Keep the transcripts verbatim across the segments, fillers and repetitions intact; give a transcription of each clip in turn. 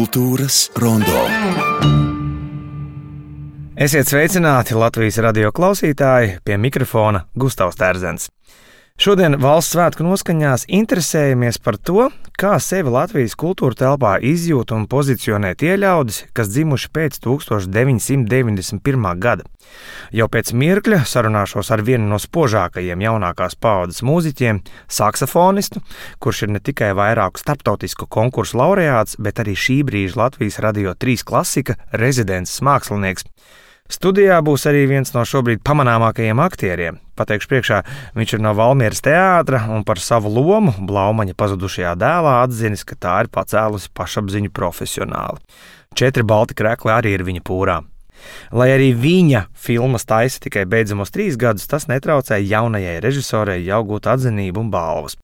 Kultūras rondo. Esiet sveicināti Latvijas radio klausītāji, pie mikrofona Gustavs Terzens. Šodien valsts svētku noskaņās interesējamies par to, kā sevi Latvijas kultūra telpā izjūt un pozicionē tie ļaudis, kas dzimuši pēc tūkstoš deviņsimt deviņdesmit pirmā gada. Jau pēc mirkļa sarunāšos ar vienu no spožākajiem jaunākās paaudzes mūziķiem, saksofonistu, kurš ir ne tikai vairāku starptautisku konkursu laureāts, bet arī šī brīža Latvijas Radio trīs klasika rezidences mākslinieks. Studijā būs arī viens no šobrīd pamanāmākajiem aktieriem. Pateikšu priekšā, viņš ir no Valmieras teātra un par savu lomu Blaumaņa pazudušajā dēlā atzinis, ka tā ir pacēlusi pašapziņu profesionāli. Četri balti krekli arī ir viņa pūrā. Lai arī viņa filmas taisa tikai beidzamos trīs gadus, tas netraucēja jaunajai režisorei jau gūt atzinību un balvas.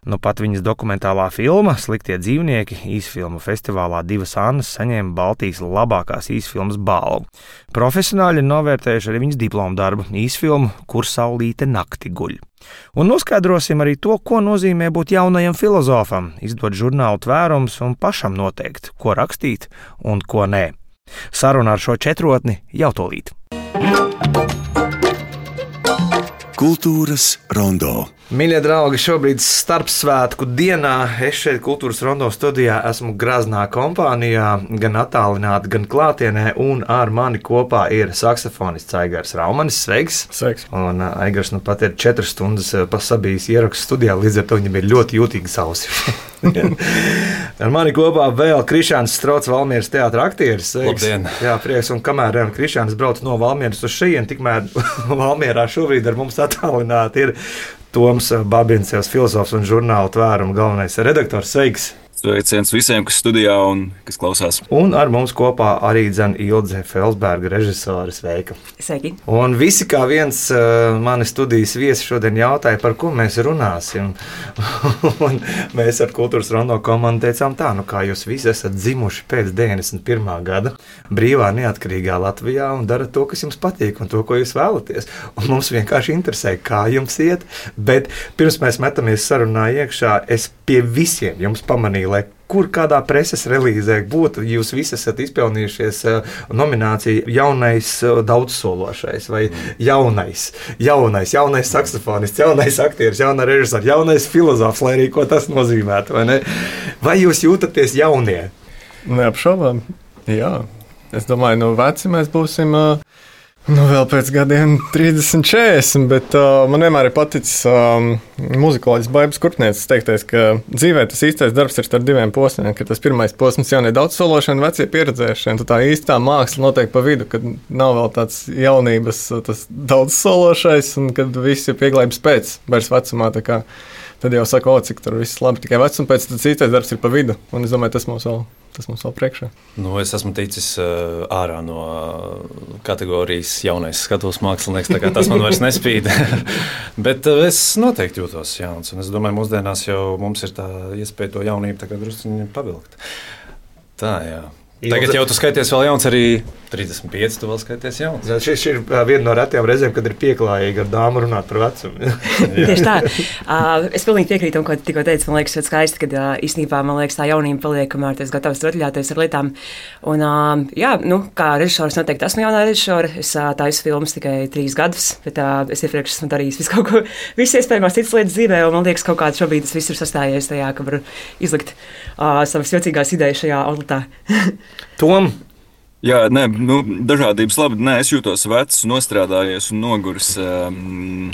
Nu pat viņas dokumentālā filma Sliktie dzīvnieki īsfilmu festivālā Divas Annas saņēma Baltijas labākās īsfilmas balvu. Profesionāļi ir novērtējuši arī viņas diplomu darbu īsfilmu Kur saulīte nakti guļ. Un noskaidrosim arī to, ko nozīmē būt jaunajam filozofam, izdot žurnālu Tvērums un pašam noteikt, ko rakstīt un ko nē. Saruna ar šo četrotni jau tūlīt. Kultūras rondo. Mīļie draugi, šobrīd starpsvētku dienā es šeit Kultūras rondo studijā esmu graznā kompānijā, gan attālināti, gan klātienē, un ar mani kopā ir saksofonists Aigars Raumanis. Sveiks! Sveiks! Un Aigars nu pat ir četras stundas pasabījis ierakstu studijā, līdz ar to viņam ir ļoti jūtīgas ausis. Ar mani kopā vēl Krišjāns Strots, Valmieras teātra aktieris. Labdien! Jā, prieks, un kamēr Krišjāns brauc no Valmieras uz šejien, tikmēr Valmierā šobrīd ar mums attālināti ir Toms Babins, filozofs un žurnāla Tvēruma galvenais redaktors. Sveiks! Sveiciens visiem, kas studijā un kas klausās. Un ar mums kopā arī dzen Ilze Felsberga, režisore. Sveika! Sveiki! Un visi kā viens mani studijas viesi šodien jautāja, par ko mēs runāsim. Un mēs ar Kultūras rondo komandu teicām tā, nu kā jūs visi esat dzimuši pēc deviņdesmit pirmā gada brīvā neatkarīgā Latvijā un darat to, kas jums patīk un to, ko jūs vēlaties. Un mums vienkārši interesē, kā jums iet, bet pirms mēs metamies sarunā iekšā, es pie visiem jums pamanīju, lai kur kādā preses relīzē būtu, jūs visi esat izpelnījušies nomināciju jaunais daudzsološais vai jaunais, jaunais, jaunais saksofonists, jaunais aktieris, jaunais režisors, jaunais filozofs, lai arī ko tas nozīmētu, vai ne? Vai jūs jūtaties jaunie? Neapšaubām, jā. Es domāju, no veci mēs būsim nu, vēl pēc gadiem trīsdesmit, četrdesmit, bet uh, man vienmēr ir paticis um, muzikoloģis Baibas Kurpnieces teiktais, ka dzīvē tas īstais darbs ir starp diviem posmiem, ka tas pirmais posms jaunie daudzsološana, vecie pieredzēšana, tad tā īstā māksla notiek pa vidu, kad nav vēl tāds jaunības tas daudzsološais, un kad viss ir pieglājums pēc vairs vecumā, tā kā tad jau saka, o, cik tur viss labi, tikai vecuma pēc, tad īstais darbs ir pa vidu, un es domāju, tas mums vēl Tas mums vēl priekšā. Nu, es esmu ticis uh, ārā no kategorijas jaunais skatuves mākslinieks, tā kā tas man vairs nespīd. Bet uh, es noteikti jūtos jauns, un es domāju, mūsdienās jau mums ir tā iespēja to jaunību tā kā drusciņi pavilkt. Tā, jā. Tagad jau tu skaities vēl jauns, arī trīsdesmit pieci tu vēl skaities jauns. Jā, šis ir viena no retajām reizēm, kad ir pieklājīgi ar dāmu runāt par vecumu. Tieši tā. Uh, es pilnīgi piekrītu tam, ko tikko teicu. Man liekas, ļoti skaisti, ka uh, īstenībā man liekas, tā jaunība paliek, kamēr tu esi gatavs rotaļāties ar lietām. Un, uh, jā, nu, kā režisors noteikti esmu jaunā režisora. Es uh, taisu filmas tikai trīs gadus, bet uh, es iepriekš esmu darījis visu kaut ko, visas iespējamās citas lietas dzīvē, un man liekas, kaut kāds šobrīd tas viss ir sastājies tajā, ka var izlikt uh, savas jocīgās idejas šajā outletā. Tom? Jā, nē, nu, dažādības labi. Nē, es jūtos vecs, nostrādājies un noguris. Um,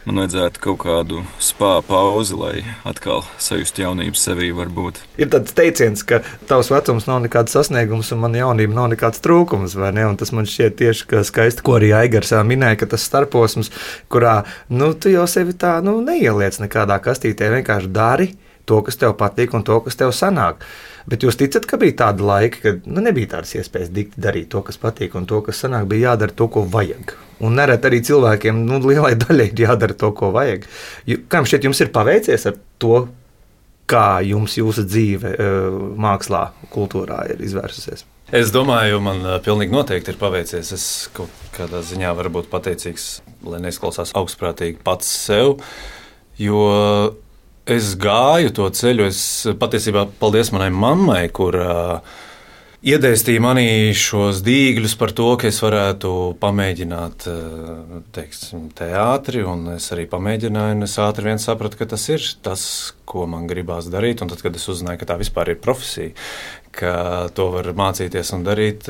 man vajadzētu kaut kādu spā pauzi, lai atkal sajustu jaunību sevī varbūt. Ir tāds teiciens, ka tavs vecums nav nekāds sasniegums un man jaunība nav nekāds trūkums, vai ne? Un tas man šķiet tieši skaisti, ko arī Aigars minēja, ka tas starposms, kurā, nu, tu jau sevi tā, nu, neieliec nekādā kastītē, vienkārši dari to, kas tev patīk un to, kas tev sanāk. Bet jūs ticat, ka bija tāda laika, kad nu, nebija tādas iespējas dikti darīt to, kas patīk, un to, kas sanāk, bija jādara to, ko vajag. Un nereti arī cilvēkiem, nu, lielai daļai ir jādara to, ko vajag. Kā jums šķiet, jums ir paveicies ar to, kā jums jūsu dzīve mākslā, kultūrā ir izvērsusies? Es domāju, man pilnīgi noteikti ir paveicies. Es kaut kādā ziņā varu būt pateicīgs, lai neizklausās augstprātīgi pats sev, jo es gāju to ceļu. Es patiesībā paldies manai mammai, kur uh, iedēstīja manī šos dīgļus par to, ka es varētu pamēģināt teiksim, teātri, un es arī pamēģināju, un es ātri vien sapratu, ka tas ir tas, ko man gribās darīt, un tad, kad es uzzināju, ka tā vispār ir profesija, ka to var mācīties un darīt,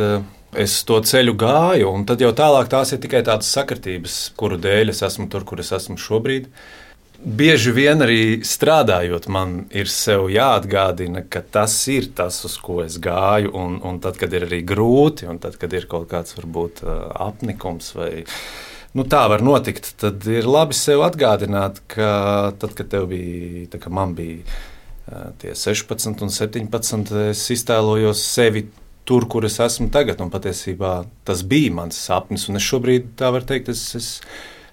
es to ceļu gāju, un tad jau tālāk tās ir tikai tādas sakritības, kuru dēļ es esmu tur, kur es esmu šobrīd. Bieži vien arī strādājot, man ir sev jāatgādina, ka tas ir tas, uz ko es gāju, un, un tad, kad ir arī grūti, un tad, kad ir kaut kāds varbūt apnikums vai nu, tā var notikt, tad ir labi sev atgādināt, ka tad, kad tev bija, tā kā man bija tie sešpadsmit un septiņpadsmit, es iztēlojos sevi tur, kur es esmu tagad, un patiesībā tas bija mans sapnis, un es šobrīd, tā var teikt, es, es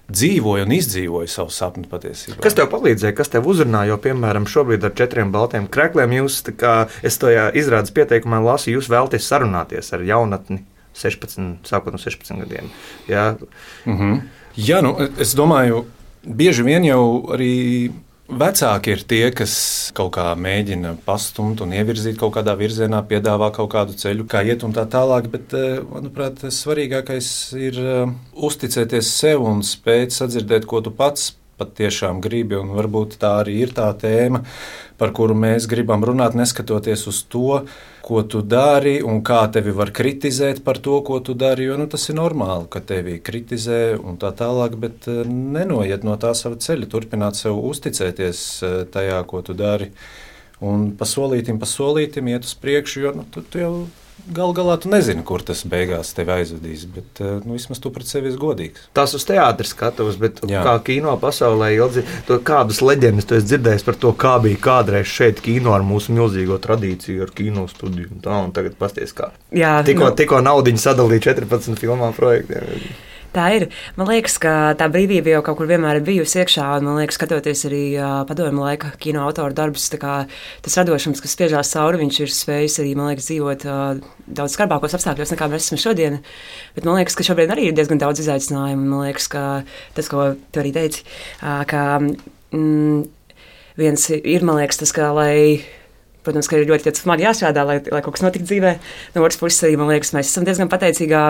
dzīvoju un izdzīvoju savu sapni patiesībā. Kas tev palīdzēja, kas tev uzrunāja? Jo, piemēram, šobrīd ar četriem baltiem krekliem jūs, kā es to izrādes pieteikumā lasu, jūs vēlaties sarunāties ar jaunatni sešpadsmit, sākot no sešpadsmit gadiem. Jā, mm-hmm. Jā nu, es domāju, bieži vien jau arī vecāki ir tie, kas kaut kā mēģina pastumt un ievirzīt kaut kādā virzienā, piedāvā kaut kādu ceļu, kā iet un tā tālāk, bet, manuprāt, svarīgākais ir uzticēties sev un spēt sadzirdēt, ko tu pats patiešām gribi, un varbūt tā arī ir tā tēma, par kuru mēs gribam runāt, neskatoties uz to, ko tu dari un kā tevi var kritizēt par to, ko tu dari, jo nu, tas ir normāli, ka tevi kritizē un tā tālāk, bet nenoiet no tā sava ceļa, turpināt sev uzticēties tajā, ko tu dari, un pa solītim, pa solītim iet uz priekšu, jo nu, tu, tu jau gal galā tu nezini, kur tas beigās tevi aizvedīs, bet nu, vismaz tu pret sevi esi godīgs. Tas uz teātris skatos, bet Jā. Kā kino pasaulē ilgi, to kādas leģendas tu esi dzirdējis par to, kā bija kādreiz šeit kino ar mūsu milzīgo tradīciju, ar kino studiju un tā, un tagad pasties kā. Jā, tikko, nu, tikko naudiņu sadalīja četrpadsmit filmām projektiem. Tā ir. Man liekas, ka tā brīvība jau kaut kur vienmēr ir bijusi iekšā, un man liekas, skatoties arī uh, padomju laika kino autoru darbus, tā kā tas radošums, kas spiežās cauri, viņš ir spējis arī, man liekas, dzīvot uh, daudz skarbākos apstākļos, nekā mēs esam šodien. Bet man liekas, ka šobrīd arī ir diezgan daudz izaicinājumu. Man liekas, ka tas, ko tu arī teici, uh, ka mm, viens ir, man liekas, tas, ka, lai protams, ka ir ļoti smagi jāstrādā, lai, lai kaut kas notiktu dzīvē. No otras puses, arī, man liekas, mēs esam diezgan pateicīgā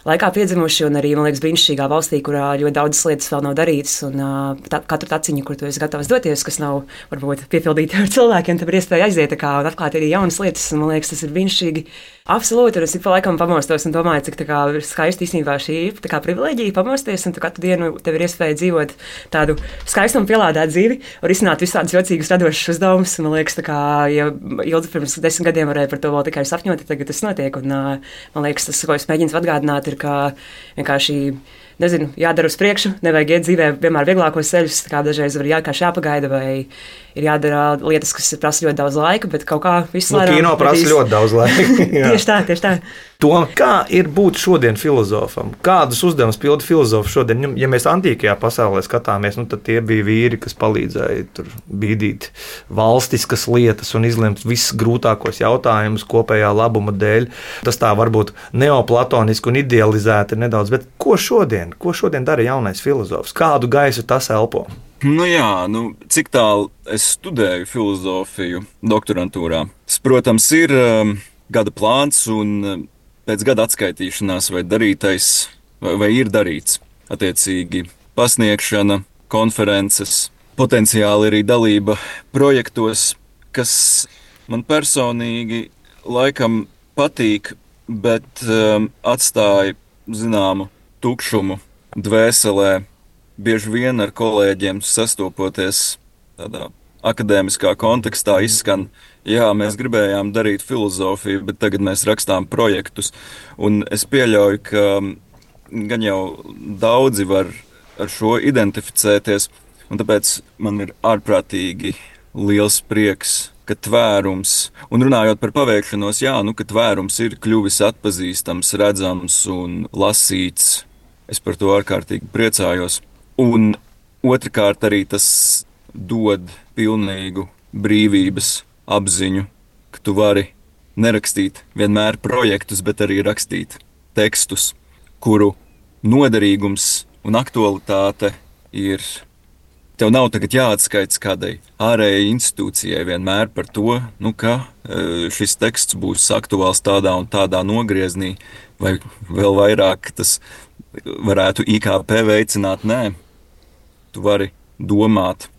laikā piedzimuši, un arī, man liekas, brīnišķīgā valstī, kurā ļoti daudzas lietas vēl nav darītas, un tā, katru taciņu, kur tu esi gatavs doties, kas nav varbūt piepildīta ar cilvēkiem, tad ir iespēja aiziet kā, un atklāt arī jaunas lietas, un man liekas, tas ir brīnišķīgi. Absolūti, un es ik pa laikam pamostos un domāju, cik tā kā skaisti īstenībā šī ir tā kā privileģija pamosties, un tu katru dienu tev ir iespēja dzīvot tādu skaistu un pielādētu dzīvi, un risināt visādus jocīgus radošus uzdevumus. Man liekas, tā kā, ja ilgi pirms desmit gadiem varēja par to vēl tikai sapņot, tagad tas notiek, un man liekas, tas, ko es mēģinu atgādināt, ir, ka vienkārši, nezinu, jādara uz priekšu, nevajag iet dzīvē vienmēr vieglākos ceļus, kā dažreiz var vienkārši jāpagaida, vai ir jādara lietas, kas prasa ļoti daudz laika, bet kaut kā viss nu, kino prasa īs... ļoti daudz laika. Tieši tā, tieši tā. Tom, kā ir būt šodien filozofam? Kādus uzdevumus pilda filozofi šodien? Ja mēs antīkajā pasaulē skatāmies, nu, tad tie bija vīri, kas palīdzēja tur bīdīt valstiskas lietas un izlemt visus grūtākos jautājumus kopējā labuma dēļ. Tas tā varbūt neoplatoniski un idealizēti nedaudz, bet ko šodien? Ko šodien dara jaunais filozofs? Kādu gaisu tas elpo? Nu jā, nu, cik tālu es studēju filozofiju doktorantūrā. Tas, protams, ir um, gada plāns un um, pēc gada atskaitīšanās vai darītais, vai, vai ir darīts. Attiecīgi pasniegšana, konferences, potenciāli arī dalība projektos, kas man personīgi laikam patīk, bet um, atstāja zināmu tukšumu dvēselē. Bieži vien ar kolēģiem sastopoties tādā akadēmiskā kontekstā izskan, jā, mēs gribējām darīt filozofiju, bet tagad mēs rakstām projektus. Un es pieļauju, ka gan jau daudzi var ar šo identificēties, un tāpēc man ir ārprātīgi liels prieks, ka tvērums, un runājot par paveikšanos, jā, nu, ka tvērums ir kļuvis atpazīstams, redzams un lasīts. Es par to ārkārtīgi priecājos. Un otrkārt arī tas dod pilnīgu brīvības apziņu, ka tu vari nerakstīt vienmēr projektus, bet arī rakstīt tekstus, kuru noderīgums un aktualitāte ir tev nav tagad jāatskaits kādai ārējai institūcijai vienmēr par to, nu, ka šis teksts būs aktuāls tādā un tādā nogrieznī, vai vēl vairāk tas varētu I K P veicināt. Nē, tu vari domāt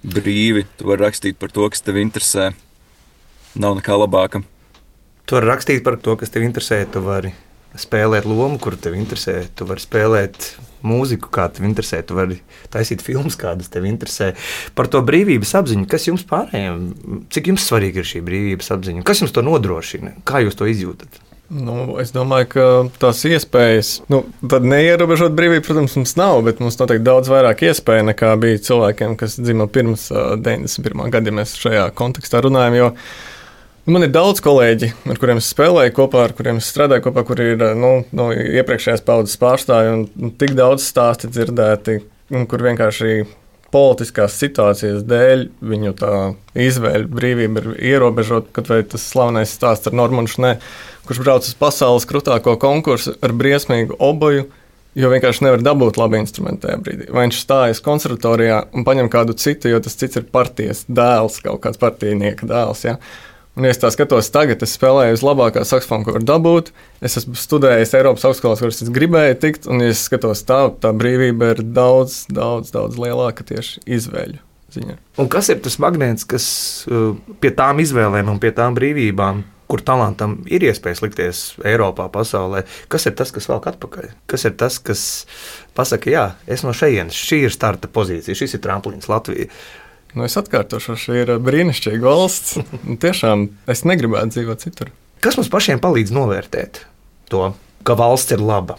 brīvi, tu vari rakstīt par to, kas tev interesē. Nav nekā labāka. Tu vari rakstīt par to, kas tev interesē, tu vari spēlēt lomu, kuru tev interesē, tu vari spēlēt mūziku, kā tev interesē, tu vari taisīt filmas, kādas tev interesē. Par to brīvības apziņu, kas jums pārējiem, cik jums svarīga ir šī brīvības apziņa, kas jums to nodrošina, kā jūs to izjūtat? Nu, es domāju, ka tās iespējas, nu, tad neierobežot brīvību, protams, mums nav, bet mums noteikti daudz vairāk iespēja nekā bija cilvēkiem, kas dzima pirms deviņdesmit pirmā gada, ja mēs šajā kontekstā runājam, jo man ir daudz kolēģi, ar kuriem es spēlēju kopā, ar kuriem es strādāju kopā, kur ir nu, no iepriekšējās paudzes pārstāvji un nu, tik daudz stāsti dzirdēti, kur vienkārši politiskās situācijas dēļ viņu tā izvēļu brīvība ir ierobežota, kad vai tas slavenais stāsts ar Normanu Šnē, kurš brauc uz pasaules krutāko konkursu ar briesmīgu oboju, jo vienkārši nevar dabūt labu instrumentu tajā brīdī. Vai viņš stājas konservatorijā un paņem kādu citu, jo tas cits ir partijas dēls, kaut kāds partijnieka dēls, ja? Un, ja es tā skatos tagad, es spēlēju uz labākā saksofona, ko var dabūt. Es esmu studējis Eiropas augstskolās, kuras es gribēju tikt, un, ja es skatos tā, tā brīvība ir daudz, daudz, daudz lielāka tieši izvēļu ziņā. Un kas ir tas magnēts, kas pie tām izvēlēm un pie tām brīvībām, kur talantam ir iespējas likties Eiropā, pasaulē, kas ir tas, kas velk atpakaļ? Kas ir tas, kas pasaka, jā, es no šejienes, šī ir starta pozīcija, šis ir tramplīns Latvija. Nu, es atkārtošu, šī ir brīnišķīga valsts. Tiešām es negribētu dzīvot citur. Kas mums pašiem palīdz novērtēt to, ka valsts ir laba?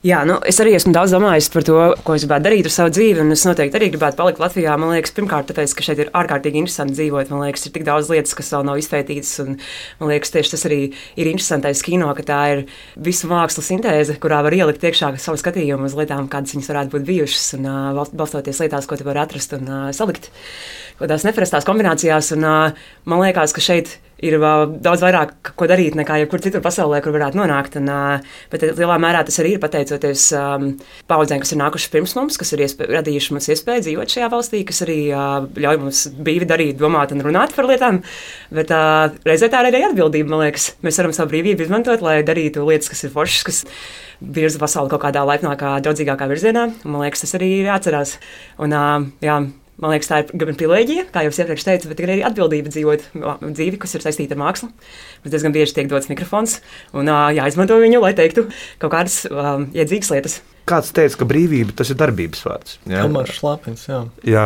Jā, nu, es arī esmu daudz domājis par to, ko es gribētu darīt ar savu dzīvi, un es noteikti arī gribētu palikt Latvijā. Man liekas, pirmkārt, tāpēc, ka šeit ir ārkārtīgi interesanti dzīvot. Man liekas, ir tik daudz lietas, kas vēl nav izpētītas, un man liekas, tieši tas arī ir interesantais kino, ka tā ir visu mākslas sintēze, kurā var ielikt iekšā savu skatījumu uz lietām, kādas viņas varētu būt bijušas, un uh, balstoties lietās, ko tu vari atrast un uh, salikt kādās neparastās kombinācijās. Un, uh, man liekas, ka šeit ir uh, daudz vairāk, ko darīt nekā jebkur citur pasaulē, kur varētu nonākt. Un, uh, bet lielā mērā tas arī ir pateicoties um, paudzēm, kas ir nākušas pirms mums, kas ir iespē, radījuši mums iespēju dzīvot šajā valstī, kas arī uh, ļauj mums brīvi darīt, domāt un runāt par lietām. Bet uh, reizē tā ir arī atbildība, man liekas. Mēs varam savu brīvību izmantot, lai darītu lietas, kas ir foršas, kas virza pasauli kaut kādā laipnākā, draudzīgākā virzienā. Un, man liekas, tas arī ir jāatcerās. Un, uh, jā, Man liekas, tā ir gan privilēģija, kā jau es iepriekš teicu, bet arī atbildība dzīvot dzīvi, kas ir saistīta ar mākslu. Mums diezgan bieži tiek dots mikrofons un jāizmanto viņu, lai teiktu kaut kādas um, iedzīgas lietas. Kāds teica, ka brīvība tas ir darbības vārds. Jā, Elmārs Šlapins, jā. Jā,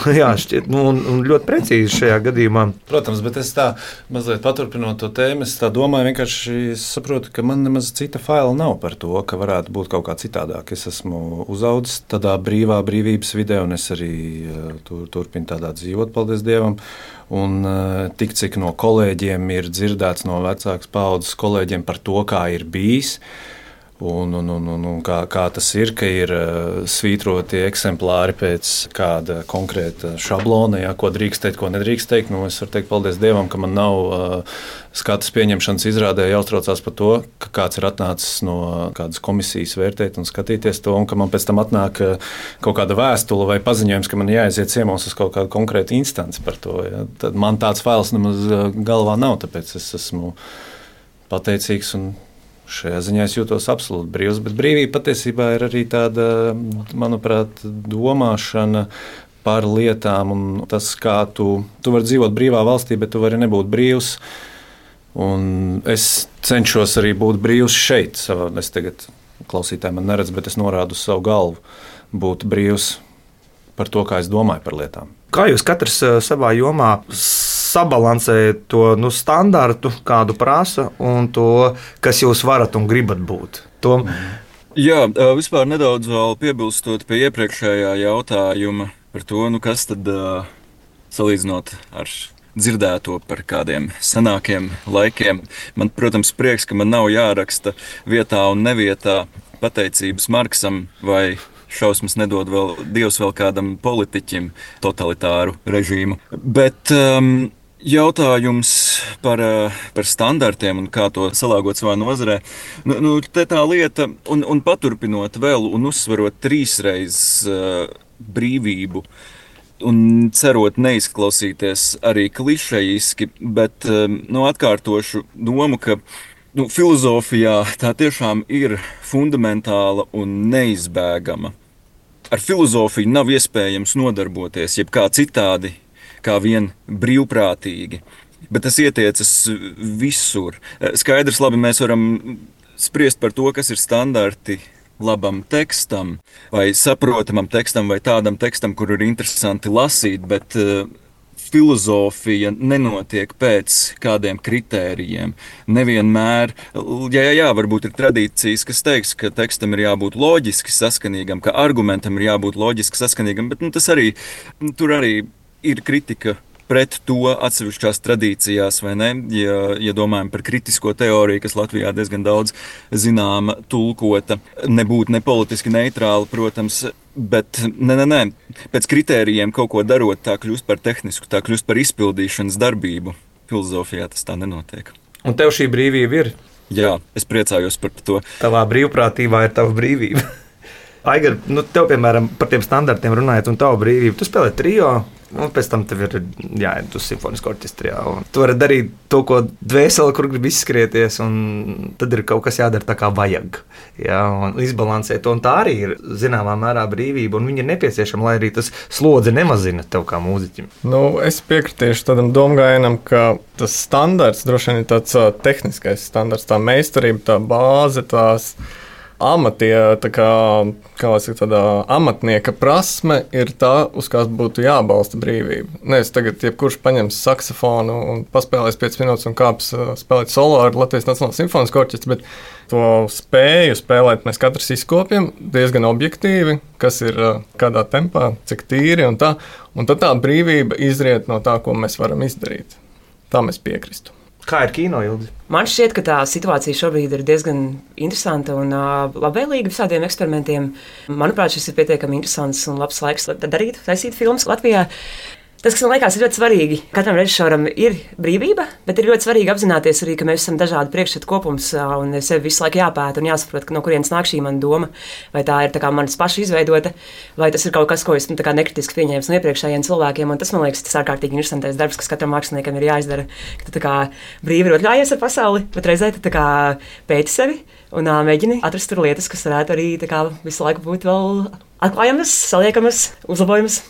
jā šķiet, nu, un, un ļoti precīzi šajā gadījumā. Protams, bet es tā mazliet paturpinot to tēmu, es tā domāju, vienkārši saprotu, ka man nemaz cita faila nav par to, ka varētu būt kaut kā citādāk. Es esmu uzaudzis tādā brīvā brīvības vidē, un es arī tur, turpinu tādā dzīvot, paldies Dievam. Un tik cik no kolēģiem ir dzirdēts no vecākas paudzes kolēģiem par to, kā ir bijis. Un, un, un, un, un kā, kā tas ir, ka ir uh, svītroti eksemplāri pēc kāda konkrēta šablona, jā, ko drīkst teikt, ko nedrīkst teikt. Nu, es varu teikt, paldies Dievam, ka man nav uh, skatas pieņemšanas izrādē jāuztraucās par to, ka kāds ir atnācis no kādas komisijas vērtēt un skatīties to, un ka man pēc tam atnāk uh, kaut kāda vēstule vai paziņojums, ka man jāaiziet ciemos uz kaut kādu konkrētu instanci par to. Jā. Tad man tāds fails nemaz galvā nav, tāpēc es esmu pateicīgs un šajā ziņā es jūtos absolūti brīvs, bet brīvība patiesībā ir arī tāda, manuprāt, domāšana par lietām un tas, kā tu, tu vari dzīvot brīvā valstī, bet tu vari nebūt brīvs. Un es cenšos arī būt brīvs šeit. Savā, es tagad klausītāji man neredz, bet es norādu uz savu galvu būt brīvs par to, kā es domāju par lietām. Kā jūs katrs savā jomā sabalansējat to nu, standartu, kādu prasa, un to, kas jūs varat un gribat būt? To... Jā, vispār nedaudz vēl piebilstot pie iepriekšējā jautājuma par to, nu, kas tad salīdzinot ar dzirdēto par kādiem senākiem laikiem. Man, protams, prieks, ka man nav jāraksta vietā un nevietā pateicības Marksam vai šausmas nedod vēl Dievs vēl kādam politiķim totalitāru režīmu. Bet um, jautājums par, par standartiem un kā to salāgot savā nozarē. Nu, nu, te tā lieta, un, un paturpinot vēl un uzsverot trīsreiz uh, brīvību. Un cerot neizklausīties arī klišejiski, bet nu, atkārtošu domu, ka nu, filozofijā tā tiešām ir fundamentāla un neizbēgama. Ar filozofiju nav iespējams nodarboties jebkā citādi, kā vien brīvprātīgi. Bet tas ietiecas visur. Skaidrs, labi, mēs varam spriest par to, kas ir standarti labam tekstam, vai saprotamam tekstam, vai tādam tekstam, kur ir interesanti lasīt, bet uh, filozofija nenotiek pēc kādiem kritērijiem. Nevienmēr, jā, jā, jā, varbūt ir tradīcijas, kas teiks, ka tekstam ir jābūt loģiski saskanīgam, ka argumentam ir jābūt loģiski saskanīgam, bet nu, tas arī, tur arī ir kritika pret to atsevišķās tradīcijās, vai ne? Ja, ja domājam par kritisko teoriju, kas Latvijā diezgan daudz zināma, tulkota, nebūt nepolitiski neitrāla, protams, bet nē, nē, nē. Pēc kritērijiem kaut ko darot, tā kļūst par tehnisku, tā kļūst par izpildīšanas darbību. Filozofijā tas tā nenotiek. Un tev šī brīvība ir? Jā, es priecājos par to. Tavā brīvprātībā ir tava brīvība. Aigar, nu tev, piemēram, par tiem standartiem runājot un tavu brīvību, tu spēlē trio, un pēc tam tev ir jāiet uz simfonisko orķestri. Tu vari darīt to, ko dvēseli, kur grib izskrieties, un tad ir kaut kas jādara tā, kā vajag. Jā, un izbalansēt to, un tā arī ir zināmā mērā brīvība, un viņa ir nepieciešama, lai arī tas slodzi nemazina tev kā mūziķim. Nu, es piekritīšu tādam domgājienam, ka tas standarts droši vien ir tāds uh, tehniskais standarts, tā meistarība, tā bāze, tās amatie, tā kā, kā lai saka, tādā amatnieka prasme ir tā, uz kās būtu jābalsta brīvība. Nevis tagad jebkurš paņems saksofonu un paspēlēs piecas minūtes un kāps spēlēt solo ar Latvijas Nacionālo simfonisko orķestri, bet to spēju spēlēt mēs katrs izkopjam diezgan objektīvi, kas ir kādā tempā, cik tīri un tā. Un tad tā brīvība izriet no tā, ko mēs varam izdarīt. Tā mēs piekristu. Kā ir kino, Ilgi? Man šķiet, ka tā situācija šobrīd ir diezgan interesanta un uh, labvēlīga visādiem eksperimentiem. Manuprāt, šis ir pietiekami interesants un labs laiks, lai darītu, taisīt filmas Latvijā. Tas, kas man liekas, ir ļoti svarīgi. Katram režisoram ir brīvība, bet ir ļoti svarīgi apzināties arī, ka mēs esam dažādi priekšstatu kopums un sevi visu laiku jāpēta un jāsaprot, no kurienes nāk šī mana doma. Vai tā ir tā kā manas paša izveidota, vai tas ir kaut kas, ko es nu, nekritiski pieņēmu no iepriekšējiem cilvēkiem. Un tas, man liekas, tas ārkārtīgi interesantais darbs, kas katram māksliniekam ir jāizdara. Ka tu tā kā brīvi ir atļājies ar pasauli, bet reizē tu tā kā pēti sevi un ā, mēģini atrast tur lietas, kas varētu arī tā kā visu laiku būt vēl atklājamas, saliekamas, uzlabojamas.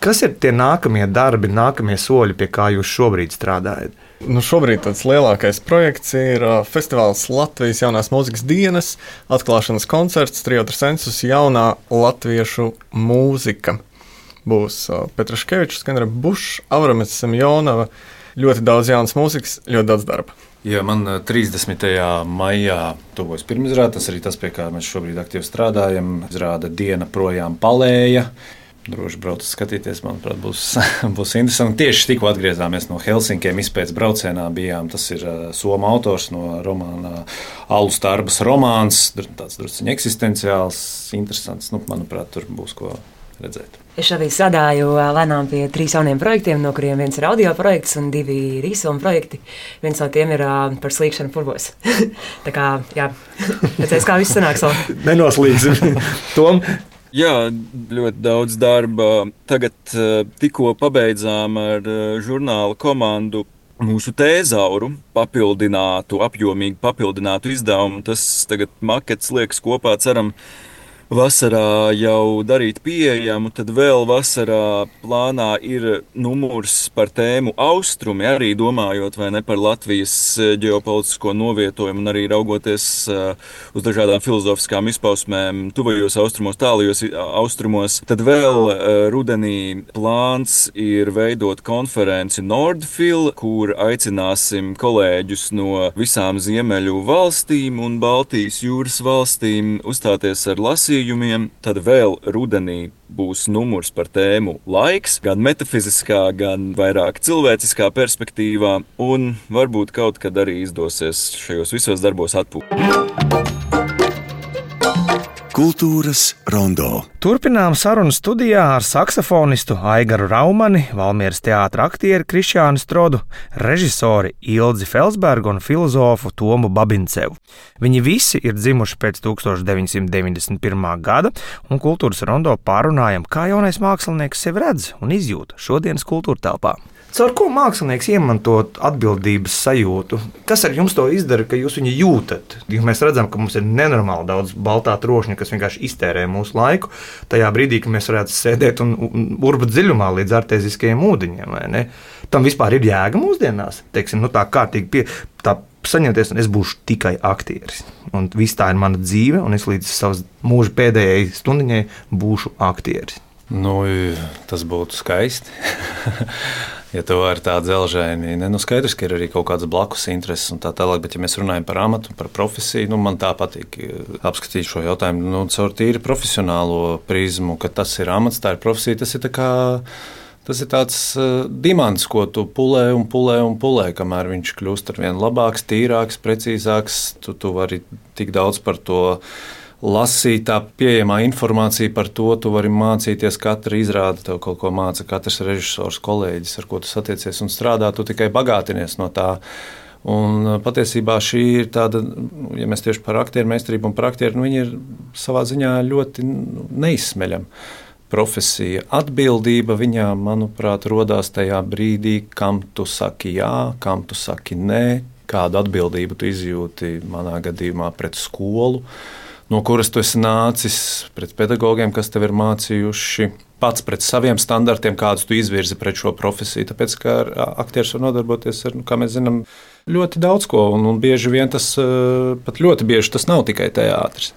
Kas ir tie nākamie darbi, nākamie soļi, pie kā jūs šobrīd strādājat? Nu, šobrīd tāds lielākais projekts ir festivāls Latvijas jaunās mūzikas dienas, atklāšanas koncerts, Trio Sensus jaunā latviešu mūzika. Būs Petraškevičs, Skenera Bušs, Avramis Semjonova, ļoti daudz jaunas mūzikas, ļoti daudz darba. Jā, man trīsdesmitajā maijā tuvojas pirmizrāde, tas arī tas, pie kā mēs šobrīd aktīvi strādājam. Izrāda Diena projām palēja. Droši braukt skatīties, manuprāt, būs, būs interesanti. Tieši tikko atgriezāmies no Helsinkiem, izpētes braucienā bijām. Tas ir uh, somu autors no romāna Alus Tarbas romāns. Tāds drusciņi eksistenciāls, interesants. Nu, manuprāt, tur būs ko redzēt. Es šobrīd strādāju lēnām pie trīs jauniem projektiem, no kuriem viens ir audio projekts un divi ir īsfilmu projekti. Viens no tiem ir uh, par slīkšanu purvos. Tā kā, jā, redzēs, kā viss sanāks. Nenoslīgsim. Tom? Jā, ļoti daudz darba. Tagad uh, tikko pabeidzām ar uh, žurnāla komandu mūsu tēzauru papildinātu, apjomīgi papildinātu izdevumu. Tas tagad makets liekas kopā, ceram, vasarā jau darīt pieejamu. Tad vēl vasarā plānā ir numurs par tēmu Austrumi, arī domājot vai ne par Latvijas ģeopolitisko novietojumu un arī raugoties uh, uz dažādām filozofiskām izpausmēm tuvajos austrumos, tālajos austrumos. Tad vēl uh, rudenī plāns ir veidot konferenci Nordfil, kur aicināsim kolēģus no visām Ziemeļu valstīm un Baltijas jūras valstīm uzstāties ar lasījumu. Tad vēl rudenī būs numurs par tēmu laiks, gan metafiziskā, gan vairāk cilvēciskā perspektīvā, un varbūt kaut kad arī izdosies šajos visos darbos atpūst. Kultūras rondo. Turpinām sarunu studijā ar saksofonistu Aigaru Raumani, Valmieras teātra aktieri Krišjānu Strodu, režisori Ilzi Felsbergu un filozofu Tomu Babincevu. Viņi visi ir dzimuši pēc tukstovš deviņsimt deviņdesmit pirmā gada, un kultūras rondo pārunājam, kā jaunais mākslinieks sevi redz un izjūt šodienas kultūra telpā. Caur ko mākslinieks iemantot atbildības sajūtu? Kas ar jums to izdara, ka jūs viņu jūtat? Jo mēs redzam, ka mums ir nenormāli daudz baltā trošņa, kas vienkārši iztērē mūsu laiku. Tajā brīdī, kad mēs varētu sēdēt un, un urbat dziļumā līdz artēziskajiem ūdeņiem, vai ne? Tam vispār ir jēga mūsdienās. Teiksim, nu tā kārtīgi pie, tā saņemties, un es būšu tikai aktieris. Un viss tā ir mana dzīve, un es līdz savas mūža pēdējai stundiņai būšu aktieris. Nu, tas būtu skaisti. Ja to var tā dzelžaini, ne, nu skaidrs, ka ir arī kaut kādas blakus intereses un tā tālāk, bet ja mēs runājam par amatu, par profesiju, nu man tā patīk apskatīt šo jautājumu, nu caur tīri profesionālo prizmu, ka tas ir amats, tā ir profesija, tas ir tā kā, tas ir tāds uh, dimants, ko tu pulē un pulē un pulē, kamēr viņš kļūst ar vien labāks, tīrāks, precīzāks, tu, tu vari tik daudz par to lasīt, tā pieejamā informācija par to, tu vari mācīties, katra izrāda tev kaut ko māca, katrs režisors, kolēģis, ar ko tu satiecies un strādā, tu tikai bagātinies no tā. Un patiesībā šī ir tāda, ja mēs tieši par aktieru meistarību un par aktieru, nu viņi ir savā ziņā ļoti neizsmeļama profesija. Atbildība viņā, manuprāt, rodās tajā brīdī, kam tu saki jā, kam tu saki nē, kādu atbildību tu izjūti manā gadījumā pret skolu, no kuras tu esi nācis, pret pedagogiem, kas tev ir mācījuši, pats pret saviem standartiem, kādus tu izvirzi pret šo profesiju. Tāpēc, ka aktieris var nodarboties ar, nu, kā mēs zinām, ļoti daudz ko, un, un bieži vien tas, pat ļoti bieži tas nav tikai teātris.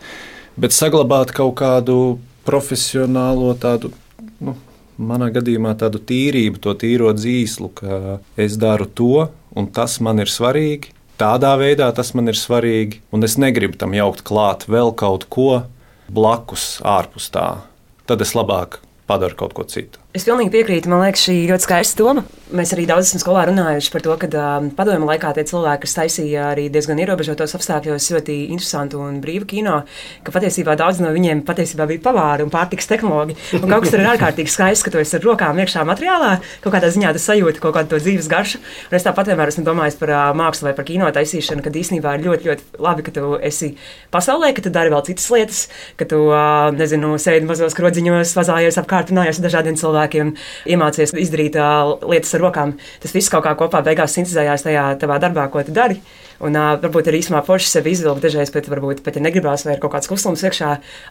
Bet saglabāt kaut kādu profesionālo tādu, nu, manā gadījumā tādu tīrību, to tīro dzīslu, ka es daru to, un tas man ir svarīgi. Tādā veidā tas man ir svarīgi, un es negribu tam jaukt klāt vēl kaut ko blakus, ārpus tā. Tad es labāk padaru kaut ko citu. Es pilnīgi piekrītu. Man liekas, šī ļoti skaista doma. Mēs arī daudz esam skolā runājuši par to, ka uh, padomju laikā tie cilvēki, kas taisīja arī diezgan ierobežotos apstākļos ļoti interesantu un brīvu kino, ka patiesībā daudz no viņiem patiesībā bija pavāri un pārtikas tehnologi. Un kaut kas tur ir ārkārtīgi skaists, ka tu esi ar rokām iekšā materiālā, kaut kādā ziņā tu sajūti kaut kādu to dzīves garšu. Un es tāpat vienmēr esmu domājis par uh, mākslu vai par kino taisīšanu, kad īstenībā ir ļoti, ļoti labi, ka tu esi pasaulē, ka tu dari vēl citas lietas, ka tu, uh, nezinu, sēdi mazos krodziņos, vazājies apkārt, runājies ar dažādiem cilvēkiem. Iemācies izdarīt uh, lietas ar rokām. Tas viss kaut kā kopā beigās sintezējās tajā tavā darbā, ko tu dari. Un uh, varbūt arī īsumā forši sevi izvilkt dažreiz, bet varbūt pat ja negribās, vai ir kaut kāds kuslums iekšā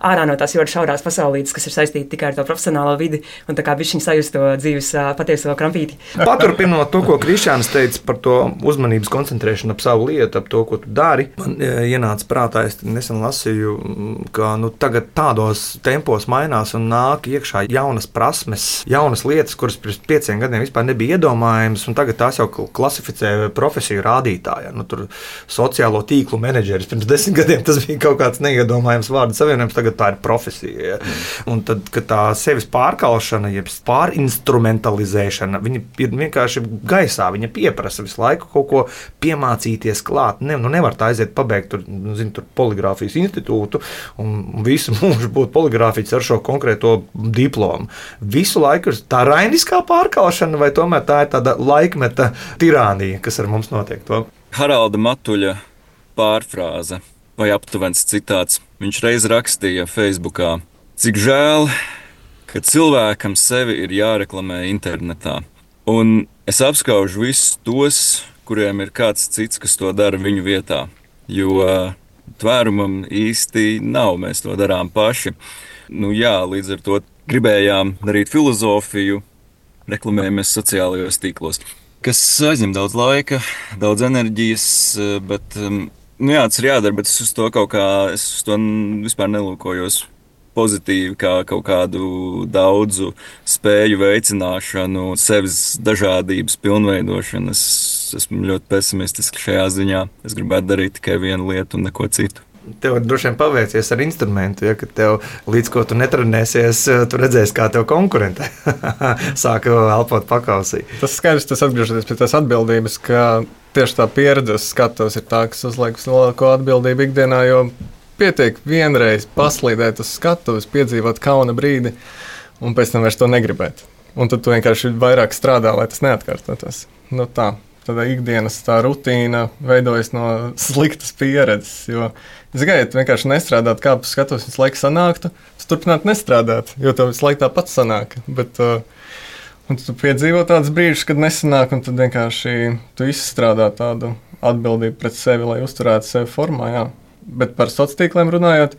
ārā no tās ļoti šaurās pasaulītes, kas ir saistīti tikai ar to profesionālo vidi, un tā kā bišķiņ sajust to dzīves uh, patieso krampīti. Paturpinot to, ko Krišjāns teica par to uzmanības koncentrēšanu ap savu lietu, ap to, ko tu dari, man ienāca prātā, es nesen lasīju, ka nu, tagad tādos tempos mainās un nāk iekšā jaunas prasmes, jaunas lietas, kuras pirms pieciem gadiem vispār nebija iedomājamas, un tagad tās jau klasificē profesiju rādītājā. Nu, tur sociālo tīklu menedžeris pirms desmit gadiem tas bija kaut kāds neiedomājams vārdu savienojums, tagad tā ir profesija. Ja? Un tad, kad tā sevis pārkalšana, jeb pārinstrumentalizēšana, viņa ir vienkārši gaisā, viņa pieprasa visu laiku kaut ko piemācīties klāt. Ne, nu nevar tā aiziet pabeigt tur, zin, tur poligrāfijas institūtu un visu mūžu būt poligrāfīts ar šo konkrēto diplomu. Visu laiku ir tā rainiskā pārkalšana, vai tomēr tā ir tāda laikmeta tirānija, kas ar mums notiek to? Haralda Matuļa pārfrāze vai aptuvens citāts. Viņš reiz rakstīja Facebookā: cik žēl, ka cilvēkam sevi ir jāreklamē internetā. Un es apskaužu visus tos, kuriem ir kāds cits, kas to dara viņu vietā. Jo tvērumam īsti nav, mēs to darām paši. Nu jā, līdz ar to gribējām darīt filozofiju, reklamējamies sociālajos tīklos, kas aizņem daudz laika, daudz enerģijas, bet nu jā, tas ir jādara, bet es uz to kaut kā, es uz to vispār nelūkojos pozitīvi, kā kaut kādu daudzu spēju veicināšanu, sevis dažādības pilnveidošanu. Es esmu ļoti pesimistiski šajā ziņā. Es gribētu darīt tikai vienu lietu un neko citu. Tev droši vien paveicies ar instrumentu, ja, ka tev līdz ko tu netrenēsies, tu redzēsi, kā tev konkurente sāka elpot pakausī. Tas skaidrs, tas atgriežoties pie tās atbildības, ka tieši tā pieredze skatos ir tā, kas uzliek uz lielāko atbildību ikdienā, jo pietiek vienreiz paslīdēt uz skatuves, piedzīvot kauna brīdi, un pēc tam vairs to negribēt. Un tad tu vienkārši vairāk strādā, lai tas neatkārtotos. Nu tā, tad ikdienas tā rutīna veidojas no sliktas pieredzes, jo, ziniet, vienkārši nestrādāt, kā pa skatuves visu laiku sanāktu, tu turpināt nestrādāt, jo tev visu laiku tāpat sanāk, bet uh, un tu piedzīvo tādus brīžus, kad nesanāk, un tad vienkārši tu izstrādā tādu atbildību pret sevi, lai uzturētu sevi formā, jā. Bet par sociāliem tīkliem runājot,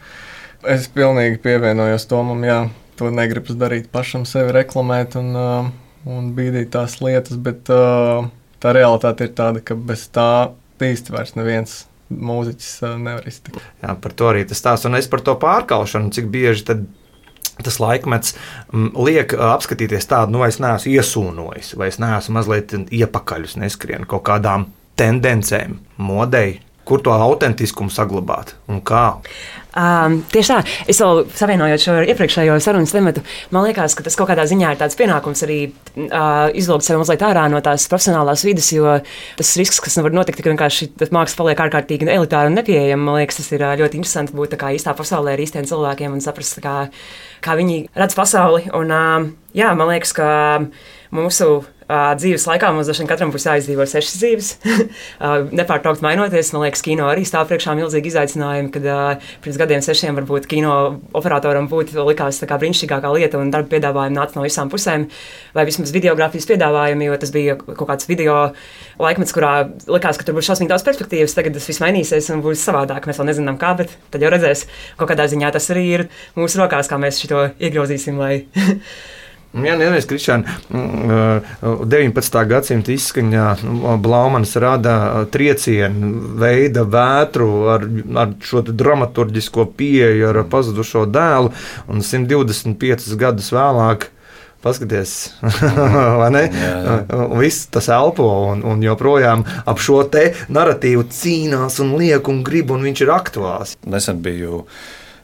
es pilnīgi pievienojos Tomam, jā, to negribas darīt pašam sevi reklamēt un, uh, un bīdīt tās lietas, bet uh, tā realitāte ir tāda, ka bez tā īsti vairs neviens mūziķis uh, nevar iztikt. Jā, par to arī tas stāsts, un es par to pārkalšanu, cik bieži tad tas laikmets m, liek apskatīties tādu, nu, vai es neesmu iesūnojis, vai es neesmu mazliet iepakaļus neskrienu kaut kādām tendencēm, modei, kur to autentiskumu saglabāt un kā? Um, tieši tā, es vēl savienojot šo iepriekšējo sarunas tematu, man liekas, ka tas kaut kādā ziņā ir tāds pienākums arī uh, izlūgt sevi mazliet ārā no tās profesionālās vides, jo tas risks, kas var notikt, ka vienkārši māksla paliek ārkārtīgi elitāra un nepieejama, man liekas, tas ir uh, ļoti interesanti būt tā kā īstā pasaulē ar īstiem cilvēkiem un saprast, kā, kā viņi redz pasauli. Un, uh, jā, man liekas, ka mūsu Uh, dzīves laikā mums dažiem katram būs jāizdzīvo sešas dzīves, uh, nepārtraukt mainoties. Man liekas, kino arī stāv priekšā milzīgi izaicinājumi, kad uh, pirms gadiem sešiem varbūt kino operatoram būtu likās tā kā brīnišķīgākā lieta un darba piedāvājumi nāca no visām pusēm, vai vismaz videogrāfijas piedāvājumi, jo tas bija kaut kāds video laikmets, kurā likās, ka tur būs šausmīgi daudz perspektīvas. Tagad tas viss mainīsies un būs savādāk. Mēs vēl nezinām kā, bet tad jau redzēs. Kaut kādā ziņā tas arī ir mūsu rokās, kā mēs šito iegrozīsim, lai Jā, neviens, Krišāna, deviņpadsmitā gadsimta izskaņā Blaumans rada triecienu, veida vētru ar, ar šo dramaturģisko pieeju, ar pazudušo dēlu, un simt divdesmit piecus gadus vēlāk paskaties, vai ne? Jā, jā. Un viss tas elpo, un, un joprojām ap šo te naratīvu cīnās un liek un grib, un viņš ir aktuāls. Nesen biju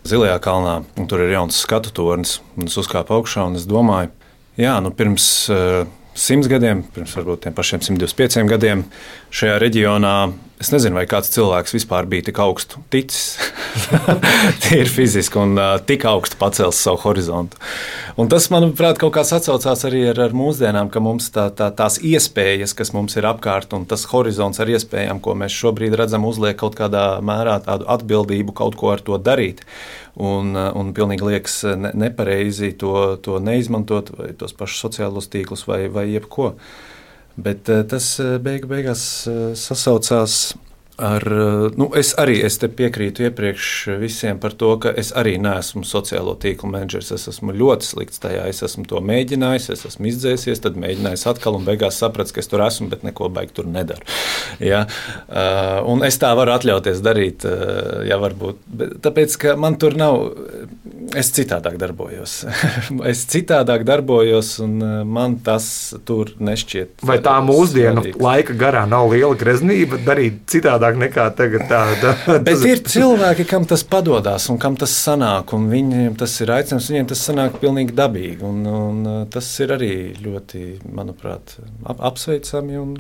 Zilajā kalnā, un tur ir jauns skatu tornis, un es uzkāpu augšā, un es domāju, jā, nu pirms uh, simts gadiem, pirms varbūt tiem pašiem simt divdesmit pieciem gadiem šajā reģionā, es nezinu, vai kāds cilvēks vispār bija tik augstu ticis, tīri fiziski un uh, tik augstu pacēlis savu horizontu. Un tas, manuprāt, kaut kāds atsaucās arī ar, ar mūsdienām, ka mums tā, tā, tās iespējas, kas mums ir apkārt, un tas horizonts ar iespējām, ko mēs šobrīd redzam, uzliek kaut kādā mērā tādu atbildību kaut ko ar to darīt. Un, un pilnīgi liekas ne, nepareizi to, to neizmantot, vai tos pašus sociālos tīklus, vai, vai jebko. Bet tas beigu beigās sasaucās ar, nu, es arī es te piekrītu iepriekš visiem par to, ka es arī neesmu sociālo tīklu menedžers. Es esmu ļoti slikts tajā. Es esmu to mēģinājis, es esmu izdzēsies, tad mēģinājis atkal un beigās sapratu, ka es tur esmu, bet neko baigi tur nedaru. Ja? Uh, un es tā varu atļauties darīt, uh, ja varbūt. Bet, tāpēc, ka man tur nav, es citādāk darbojos. es citādāk darbojos un man tas tur nešķiet. Vai tā mūsdienu svarīgs. Laika garā nav liela greznība darīt citādāk? Nekā tagad tā, tā, Bet ir cilvēki, kam tas padodas un kam tas sanāk, un viņiem tas ir aicinājums, viņiem tas sanāk pilnīgi dabīgi, un, un tas ir arī ļoti, manuprāt, ap, apsveicami, un,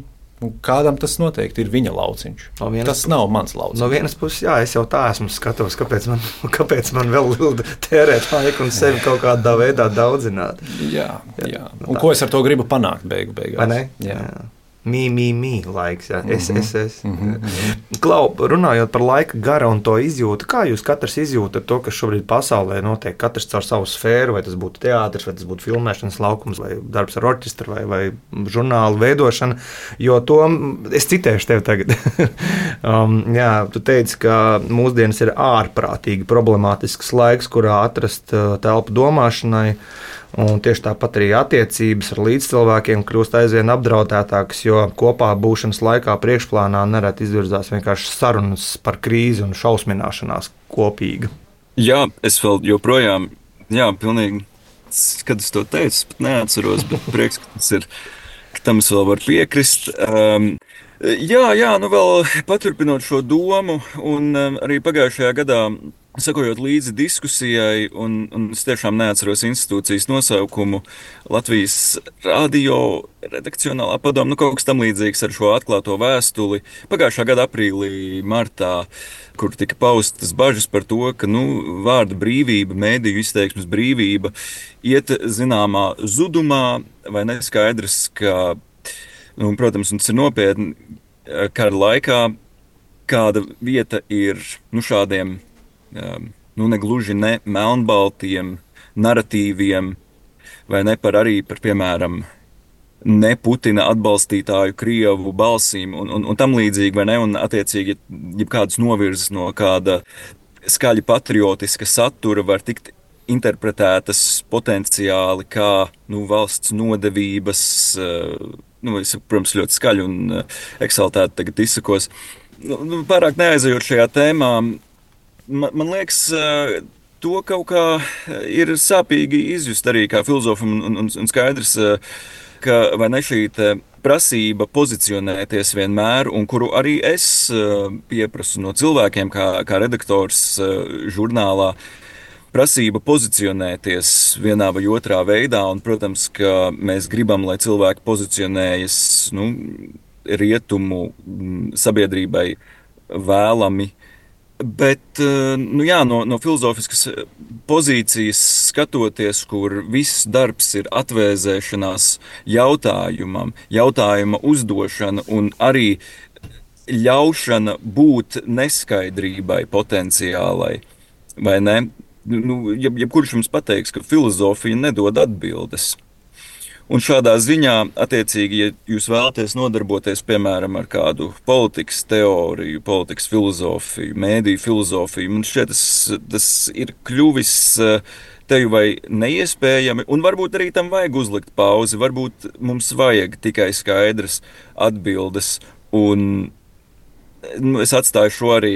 un kādam tas noteikti ir viņa lauciņš. No vienas, tas nav mans lauciņš. No vienas puses, jā, es jau tā esmu skatos, kāpēc man, kāpēc man vēl tērēt laiku un sevi kaut kādā veidā daudzināt. Jā, jā. Un ko es ar to gribu panākt beigu beigās? Vai ne? Jā. jā. Mī, mī, mī laiks, jā. Es, mm -hmm. es, es. Mm -hmm. Klau, runājot par laika gara un to izjūtu, kā jūs katrs izjūtat to, kas šobrīd pasaulē notiek, katrs caur savu sfēru, vai tas būtu teātris, vai tas būtu filmēšanas laukums, vai darbs ar orķestru, vai, vai žurnālu veidošana, jo to, es citēšu tevi tagad, um, jā, tu teici, ka mūsdienas ir ārprātīgi problemātisks laiks, kurā atrast uh, telpu domāšanai, un tieši tāpat arī attiecības ar līdzcilvēkiem kļūst aizvien apdraudētākas, jo kopā būšanas laikā priekšplānā nereti izvirzās vienkārši sarunas par krīzi un šausmināšanās kopīga. Jā, es vēl joprojām, jā, pilnīgi, kad es to teicu, pat neatceros, bet prieks, ka tas ir, ka tam es vēl varu piekrist. Um, jā, jā, nu vēl paturpinot šo domu, un um, arī pagājušajā gadā Sakojot līdzi diskusijai, un, un es tiešām neatceros institūcijas nosaukumu, Latvijas radio redakcionālā padome, nu kaut kas tam līdzīgs ar šo atklāto vēstuli. Pagājušā gada aprīlī, martā, kur tika paustas bažas par to, ka nu, vārda brīvība, mēdīju izteiksmes brīvība iet zināmā zudumā, vai neskaidrs, ka, nu, protams, tas ir nopietni, kara laikā kāda vieta ir nu, šādiem nu, negluži ne melnbaltiem naratīviem, vai ne par arī par, piemēram, ne Putina atbalstītāju Krievu balsīm un, un, un tam līdzīgi, vai ne, un attiecīgi, ja kādas novirzes no kāda skaļi patriotiska satura var tikt interpretētas potenciāli kā nu, valsts nodevības, nu, es, protams, ļoti skaļi un eksaltēti tagad izsakos. Nu, pārāk neaizejot šajā tēmā, Man, man liekas, to kaut kā ir sāpīgi izjust arī kā filozofam un, un, un skaidrs, ka vai ne šī prasība pozicionēties vienmēr, un kuru arī es pieprasu no cilvēkiem kā, kā redaktors žurnālā, prasība pozicionēties vienā vai otrā veidā, un, protams, ka mēs gribam, lai cilvēki pozicionējas nu, rietumu sabiedrībai vēlami. Bet nu jā, no, no filozofiskas pozīcijas skatoties, kur viss darbs ir atvēzēšanās jautājumam, jautājuma uzdošana un arī ļaušana būt neskaidrībai potenciālai, vai ne? Nu, jeb, jebkurš jums pateiks, ka filozofija nedod atbildes. Un šādā ziņā, attiecīgi, ja jūs vēlaties nodarboties, piemēram, ar kādu politikas teoriju, politikas filozofiju, mēdīju filozofiju, man šķiet, tas, tas ir kļuvis teju vai neiespējami, un varbūt arī tam vajag uzlikt pauzi, varbūt mums vajag tikai skaidras atbildes, un nu, es atstāju šo arī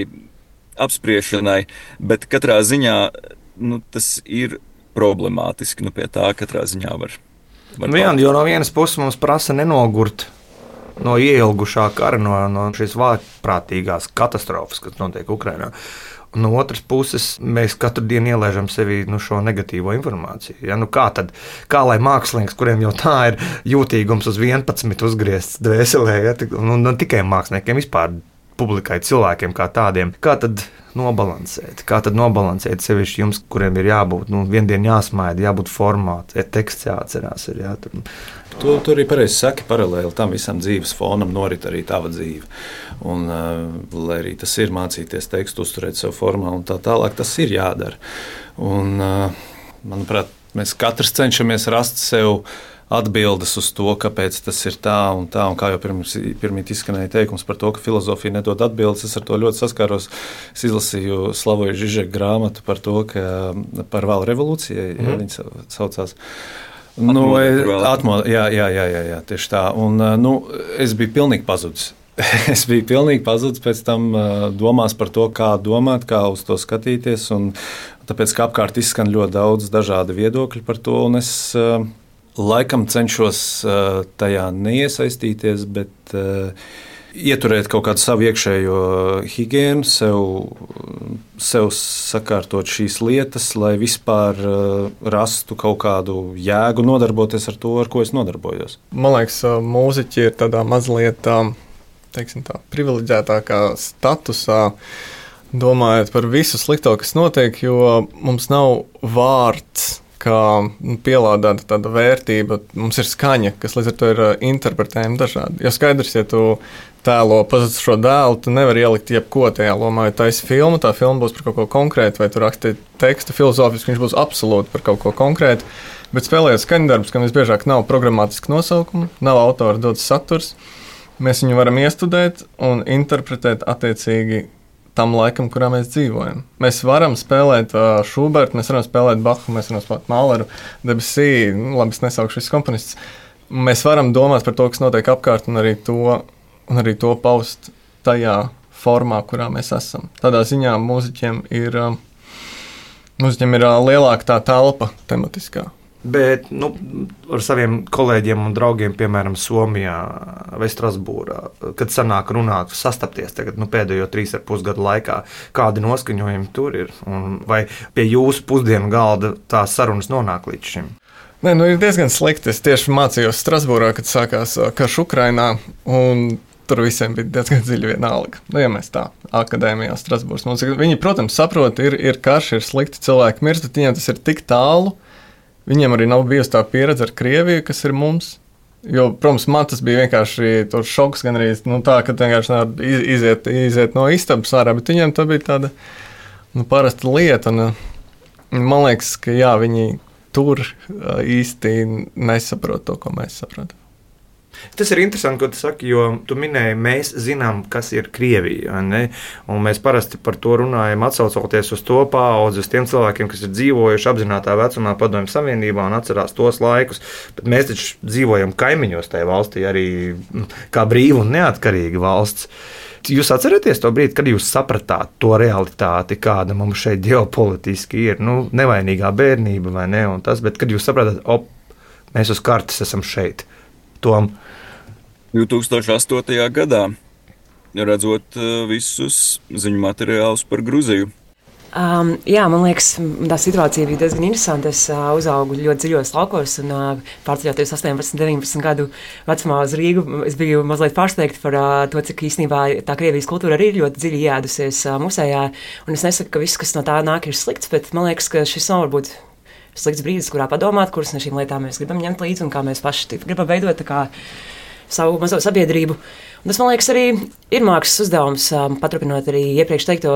apspriešanai, bet katrā ziņā nu, tas ir problemātiski, nu pie tā katrā ziņā var. Nu, jā, jo no vienas puses mums prasa nenogurt no ieilgušā kara, no, no šīs vājprātīgās katastrofas, kas notiek Ukrainā. Un no otras puses mēs katru dienu ielaižam sevi nu, šo negatīvo informāciju. Ja? Nu, kā, tad, kā lai mākslinieks, kuriem jau tā ir jūtīgums uz vienpadsmit uzgriezts dvēselē, ja? un ne tikai māksliniekiem, vispār publikai, cilvēkiem kā tādiem, kā tad nobalansēt, kā tad nobalansēt sevišķi jums, kuriem ir jābūt, nu, viendien jāsmaida, jābūt formāts, teksts jāatcerās. Ir, jā, tur. Tu, tu arī pareizi saki, paralēli tam visam dzīves fonam norit arī tava dzīve. Un, uh, lai arī tas ir mācīties tekstu, uzturēt savu formā un tā tālāk, tas ir jādara. Un, uh, manuprāt, mēs katrs cenšamies rast sev atbildes uz to, kāpēc tas ir tā un tā, un kā jau pirms, pirmīt izskanēja teikums par to, ka filozofija nedod atbildes, es ar to ļoti saskāros. Es izlasīju Slavoju Žižeku grāmatu par to, ka par vēl revolūcijai, mm. ja viņa saucās. Nu, atmo, jā, jā, jā, jā, jā, tieši tā. Un, nu, es biju pilnīgi pazudis. Es biju pilnīgi pazudis pēc tam domās par to, kā domāt, kā uz to skatīties, un tāpēc, ka apkārt izskan ļoti daudz dažādu viedokļu par to, un es laikam cenšos uh, tajā neiesaistīties, bet uh, ieturēt kaut kādu savu iekšējo higiēnu, sev, sev sakārtot šīs lietas, lai vispār uh, rastu kaut kādu jēgu nodarboties ar to, ar ko es nodarbojos. Man liekas, mūziķi ir tādā mazliet teiksim tā, privileģētākā statusā, domājot par visu slikto, kas notiek, jo mums nav vārds, kā pielādēta tāda vērtība, mums ir skaņa, kas līdz ar to ir interpretējama dažādi. Jo skaidrs, ja tu tēlo pazudušo dēlu, tu nevari ielikt jebko tajā lomā, ja taisi filmu, tā filma būs par kaut ko konkrētu, vai tu raksti tekstu filozofiski, viņš būs absolūti par kaut ko konkrētu, bet spēlējot skaņdarbus, kam visbiežāk nav programmatiski nosaukumi, nav autora dots saturs, mēs viņu varam iestudēt un interpretēt attiecīgi tam laikam, kurā mēs dzīvojam. Mēs varam spēlēt uh, Šubertu, mēs varam spēlēt Bachu, mēs varam spēlēt Mahleru, Debussy, nu, labi, es nesaukšu šis komponistus. Mēs varam domāt par to, kas notiek apkārt, un arī to, un arī to paust tajā formā, kurā mēs esam. Tādā ziņā mūziķiem ir, uh, mūziķiem ir uh, lielāka tā telpa tematiskā. bet nu, ar saviem kolēģiem un draugiem, piemēram, Somijā vai Strasbūrā, kad sanāk runāt, sastapties tagad, nu, pēdējo trīs ar pus gadu laikā, kādi noskaņojumi tur ir, un vai pie jūsu pusdienu galda tās sarunas nonāk līdz šim? Nē, nu ir diezgan slikti. Es tieši mācījos Strasbūrā, kad sākās karš Ukrainā, un tur visiem bija diezgan dziļi vienalga. Nu, ja mēs tā akadēmijā Strasbūras mūzika. Viņi, protams, saprot, ir, ir karš, ir slikti, cilvēki mirst, bet viņiem tas ir tik tālu. Viņiem arī nav bijusi tā pieredze ar Krieviju, kas ir mums. Jo, protams, man tas bija vienkārši šoks, gan arī nu, tā, ka vienkārši iziet, iziet no istabas ārā, bet viņiem tā bija tāda nu, parasta lieta. Un, man liekas, ka jā, viņi tur īsti nesaprot to, ko mēs saprotam. Tas ir interesanti, ko tu saki, jo tu minēji, mēs zinām, kas ir Krievija. Ne? Un mēs parasti par to runājam, atsaucoties uz to paudzi, uz tiem cilvēkiem, kas ir dzīvojuši apzinātā vecumā Padomju Savienībā un atcerās tos laikus. Bet mēs taču dzīvojam kaimiņos tajā valstī, arī kā brīva un neatkarīga valsts. Jūs atceraties to brīdi, kad jūs sapratāt to realitāti, kāda mums šeit ģeopolitiski ir? Nu, nevainīgā bērnība vai ne? Un tas, bet kad jūs sapratāt, op, mēs uz kartes esam šeit. Tom. divi tūkstoši astotajā gadā, redzot visus ziņu materiālus par Gruziju. Um, jā, man liekas, tā situācija bija diezgan interesanta. Es uh, uzaugu ļoti dziļos laukos un uh, pārceļoties astoņpadsmit, deviņpadsmit gadu vecumā uz Rīgu. Es biju mazliet pārsteigta par uh, to, cik īstenībā tā Krievijas kultūra arī ir ļoti dziļi ieēdusies uh, musējā. Un es nesaku, ka viss, kas no tā nāk, ir slikts, bet man liekas, ka šis nav varbūt slikts brīdis, kurā padomāt, kuras no šīm lietām mēs gribam ņemt līdzi un kā mēs paši gribam veidot kā savu mazo sabiedrību. Un tas, man liekas, arī ir mākslas uzdevums, um, paturpinot arī iepriekš teikto,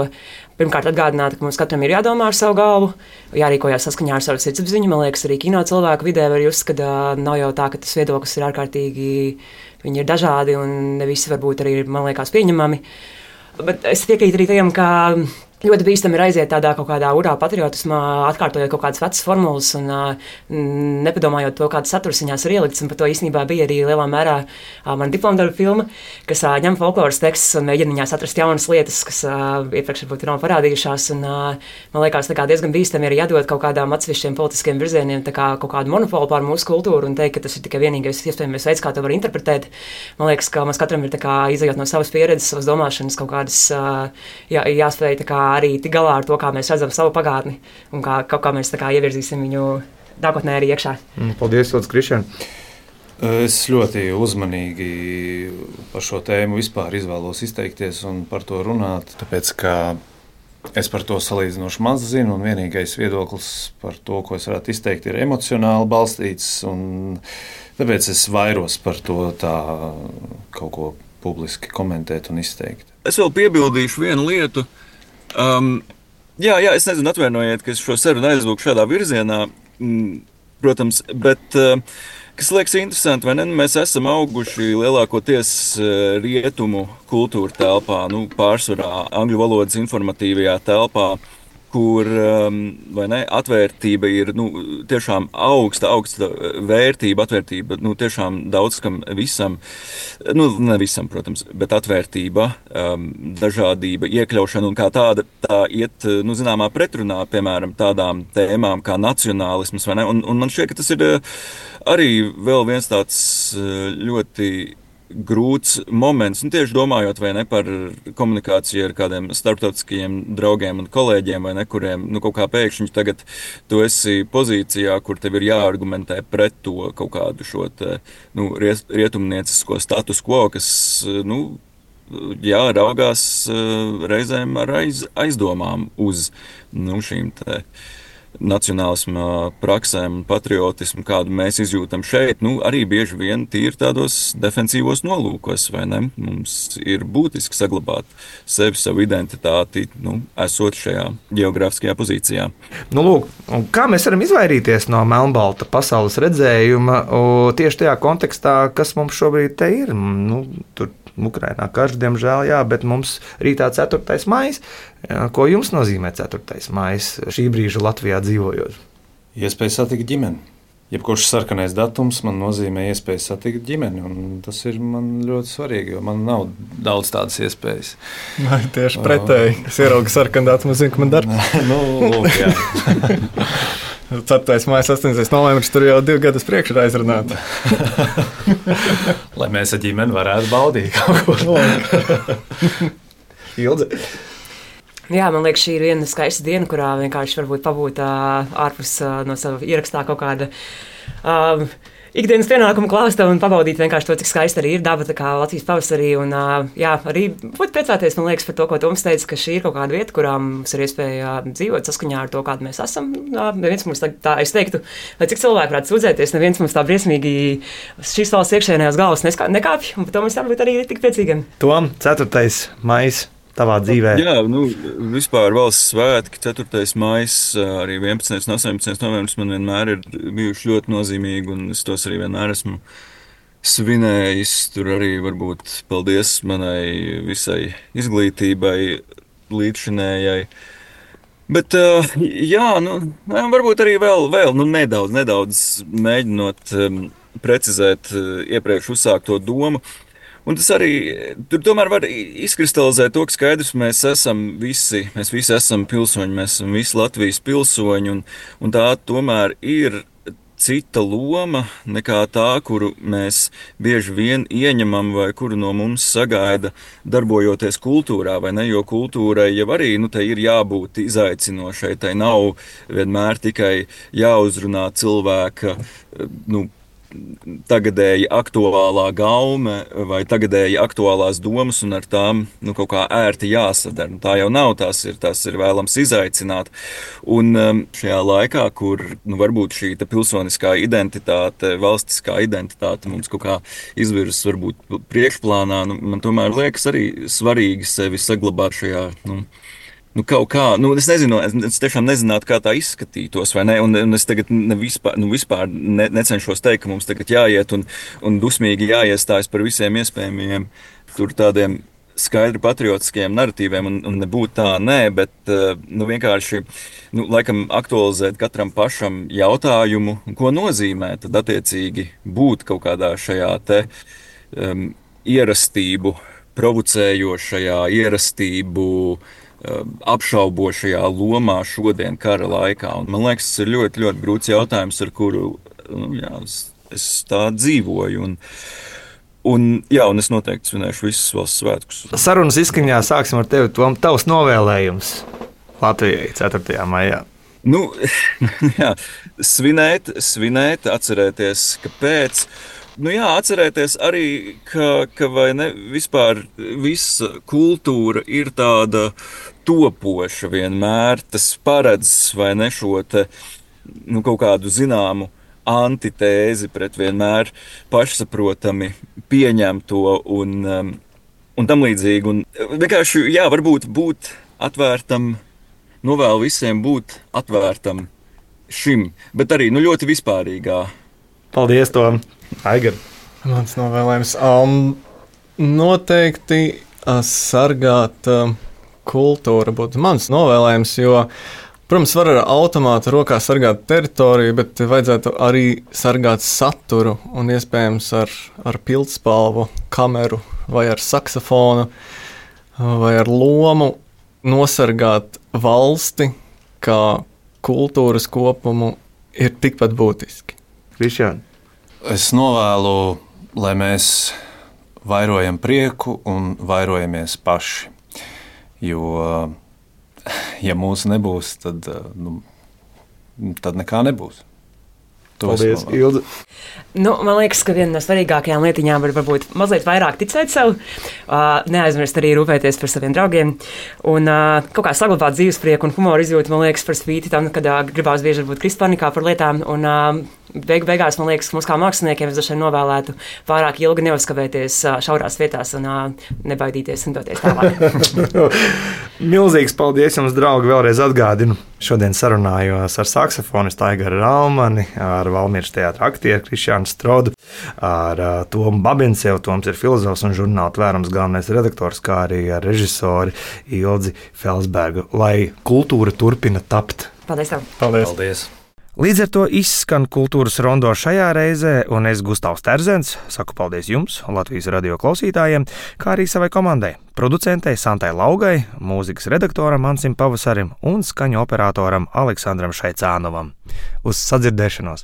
pirmkārt atgādināt, ka mums katram ir jādomā ar savu galvu, jārīkojās saskaņā ar savu sirdsapziņu. Man liekas, arī kino cilvēku vidē var just, ka uh, nav jau tā, ka tas viedoklis ir ārkārtīgi, viņi ir dažādi un ne visi varbūt arī ir, man liekas, pieņemami. Bet es piekrītu arī tajam, ka ļoti bīstami ir aiziet tādā kaut kādā urā patriotismā, atkārtojot kaut kādas vecas formulas un uh, nepadomājot to, kādas saturs viņās ir ielikts. Un par to īstenībā bija arī lielā mērā uh, mana diplomdarba filma, kas uh, ņem folkloras tekstus un mēģina viņās atrast jaunas lietas, kas uh, iepriekš varbūt nav parādījušās. Un, uh, man liekas, diezgan bīstami arī jādod kaut kādām atsevišķiem politiskiem virzieniem kā kaut kādu monopolu pār mūsu kultūru un teikt, ka tas ir tikai vienīgais iespējamais veids, kā to var interpretēt. Man liekas, ka mums katram ir izejot no savas pieredzes, savas domāšanas kaut kādas uh, jā, jāspēj arī tik galā ar to, kā mēs redzam savu pagātni un kā, kā, kā mēs kā, ievirzīsim viņu nākotnē arī iekšā. Paldies, Lūdzu, Krišjān. Es ļoti uzmanīgi par šo tēmu vispār izvēlos izteikties un par to runāt, tāpēc, ka es par to salīdzinoši maz zinu, un vienīgais viedoklis par to, ko es varētu izteikt, ir emocionāli balstīts, un tāpēc es vairos par to tā kaut ko publiski komentēt un izteikt. Es vēl piebildīšu vienu lietu. Um, jā, jā, es nezinu, atvainojiet, ka es šo sarunu aizvilku šādā virzienā, mm, protams, bet uh, kas liekas interesanti, vai ne? Mēs esam auguši lielākoties uh, rietumu kultūra telpā, nu, pārsvarā angļu valodas informatīvajā telpā, kur um, vai ne, atvērtība ir nu, tiešām augsta, augsta vērtība, atvērtība nu, tiešām daudz kam visam, nu, ne visam, protams, bet atvērtība, um, dažādība, iekļaušana un kā tāda, tā iet, nu, zināmā pretrunā, piemēram, tādām tēmām kā nacionālisms, vai ne, un, un man šķiet, ka tas ir arī vēl viens tāds ļoti grūts moments, un tieši domājot vai ne par komunikāciju ar kādiem starptautiskajiem draugiem un kolēģiem, vai ne, kuriem, nu, kaut kā pēkšņi tagad tu esi pozīcijā, kur tev ir jāargumentē pret to kaut kādu šo te, nu, rietumniecisko status quo, kas, nu, jā, raugās reizēm ar aiz, aizdomām uz, nu, šīm te nacionālisma praksēm un patriotismu, kādu mēs izjūtam šeit, nu, arī bieži vien tīri tādos defensīvos nolūkos, vai ne? Mums ir būtiski saglabāt sevi, savu identitāti, nu, esot šajā geogrāfiskajā pozīcijā. Nu, lūk, kā mēs varam izvairīties no melnbalta pasaules redzējuma tieši tajā kontekstā, kas mums šobrīd te ir? Nu, tur Ukrainā karš, diemžēl, jā, bet mums rītā ceturtais maijs. Ko jums nozīmē ceturtais maijs šī brīža Latvijā dzīvojot? Iespēja satikt ģimeni. Jebkurš sarkanais datums man nozīmē iespēju satikt ģimeni, un tas ir man ļoti svarīgi, jo man nav daudz tādas iespējas. Nē, tieši pretēji. Es ieraugu sarkanu datumu, zinu, ka man darbs. nu, lūk, jā. ceturtais maija, astoņdesmitais novembris, tur jau divi gadus priekš ir aizrunāta. Lai mēs ar ģimeni varētu baudīt kaut ko. Ilze. Jā, man liekas, šī ir viena skaista diena, kurā vienkārši varbūt pabūt uh, ārpus uh, no sava ierakstā kaut kāda uh, ikdienas pienākumu klāsta un pabaudīt vienkārši to, cik skaista arī ir daba, tā kā Latvijas pavasarī. Un, uh, jā, arī būt priecāties, man liekas, par to, ko Toms teica, ka šī ir kaut kāda vieta, kurā mums ir iespēja dzīvot saskaņā ar to, kāda mēs esam. Uh, neviens mums tā, tā, es teiktu, lai cik cilvēki varētu sūdzēties, neviens mums tā briesmīgi šīs valsts iekšēnējās galvas nekāpj, un par to mēs jābūt arī tik priecīgiem. Tom, ceturtais maijs. Tavā dzīvē? Jā, nu, vispār valsts svētki, ceturtais maijs, arī vienpadsmitais un astoņpadsmitais novembris man vienmēr ir bijuši ļoti nozīmīgi, un es tos arī vienmēr esmu svinējis. Tur arī varbūt paldies manai visai izglītībai, līdzšinējai. Bet, jā, nu, varbūt arī vēl, vēl nu, nedaudz, nedaudz mēģinot um, precizēt iepriekš uzsākto domu. Un tas arī tur tomēr var izkristalizēt to, ka skaidrs, mēs esam visi, mēs visi esam pilsoņi, mēs esam visi Latvijas pilsoņi, un, un tā tomēr ir cita loma nekā tā, kuru mēs bieži vien ieņemam vai kuru no mums sagaida darbojoties kultūrā, vai ne, jo kultūrai jau arī, nu, tai ir jābūt izaicinošai, tai nav vienmēr tikai jāuzrunā cilvēka, nu, tagadēji aktuālā gaume vai tagadēji aktuālās domas un ar tām nu, kaut kā ērti jāsadara. Tā jau nav, tās ir, tās ir vēlams izaicināt. Un šajā laikā, kur nu, varbūt šī pilsoniskā identitāte, valstiskā identitāte mums kaut kā izvirzas varbūt priekšplānā, nu, man tomēr liekas arī svarīgi sevi saglabāt šajā, nu, Nu, kaut kā, nu, es nezinu, es, es tiešām nezinātu, kā tā izskatītos, vai ne, un, un es tagad ne vispār, nu, vispār ne, necenšos teikt, ka mums tagad jāiet un, un dusmīgi jāiestājas par visiem iespējamiem tur tādiem skaidri patriotiskiem narratīviem, un, un nebūt tā, nē, bet, nu, vienkārši, nu, laikam aktualizēt katram pašam jautājumu, ko nozīmē tad attiecīgi būt kaut kādā šajā te um, ierastību, provocējošajā ierastību, apšaubošajā lomā šodien kara laikā. Un man liekas, tas ir ļoti, ļoti grūts jautājums, ar kuru nu, jā, es, es tā dzīvoju. Un, un, jā, un es noteikti svinēšu visus valsts svētkus. Sarunas izskaņā sāksim ar tevi, Tom, tavs novēlējums Latvijai ceturtajā maijā. Nu, jā, svinēt, svinēt, atcerēties, kāpēc. Nu jā, atcerēties arī, ka, ka vai ne, vispār visa kultūra ir tāda topoša vienmēr. Tas paredz vai ne šo te, nu, kaut kādu zināmu antitēzi pret vienmēr pašsaprotami pieņemto un, um, un tam līdzīgi. Un vienkārši, jā, varbūt būt atvērtam, novēlu visiem būt atvērtam šim, bet arī, nu, ļoti vispārīgā. Paldies, Tom! Aigar. Mans novēlējums um, noteikti uh, sargāt uh, kultūru būtu mans novēlējums, jo, protams, var ar automātu rokā sargāt teritoriju, bet vajadzētu arī sargāt saturu un iespējams ar, ar pildspalvu, kameru vai ar saksofonu vai ar lomu nosargāt valsti kā kultūras kopumu ir tikpat būtiski. Krišjāni. Es novēlu, lai mēs vairojam prieku un vairojamies paši. Jo, ja mūsu nebūs, tad, nu, tad nekā nebūs. Paldies, Ilze. Nu, man liekas, ka viena no svarīgākajām lietiņām ir varbūt mazliet vairāk ticēt sev, uh, neaizmirst arī rūpēties par saviem draugiem un uh, kaut kā saglabāt dzīvesprieku un humoru izjūtu, man liekas, par spīti tam, kad uh, gribās bieži būt krist panikā par lietām. Un, uh, beig, beigās, man liekas, mums kā māksliniekiem es dažreiz novēlētu pārāk ilgi neuzskavēties uh, šaurās vietās un uh, nebaidīties un doties tālāk. Milzīgs paldies jums, draugi, vēlreiz atgādinu. Šodien sarunājos ar saksofonistu Aigaru Ralmani, ar Valmieras teātra aktieru Krišjānu Strodu, ar uh, Tomu Babinsevu. Toms ir filozofs un žurnāla Tvērums galvenais redaktors, kā arī ar režisori Ilzi Felsbergu. Lai kultūra turpina tapt. Paldies tev! Paldies! Paldies. Līdz ar to izskan kultūras rondo šajā reizē, un es, Gustavs Terzens, saku paldies jums, Latvijas radio klausītājiem, kā arī savai komandai, producentei Santai Laugai, mūzikas redaktoram Ansim Pavasarim un skaņu operatoram Aleksandram Šaicānovam. Uz sadzirdēšanos!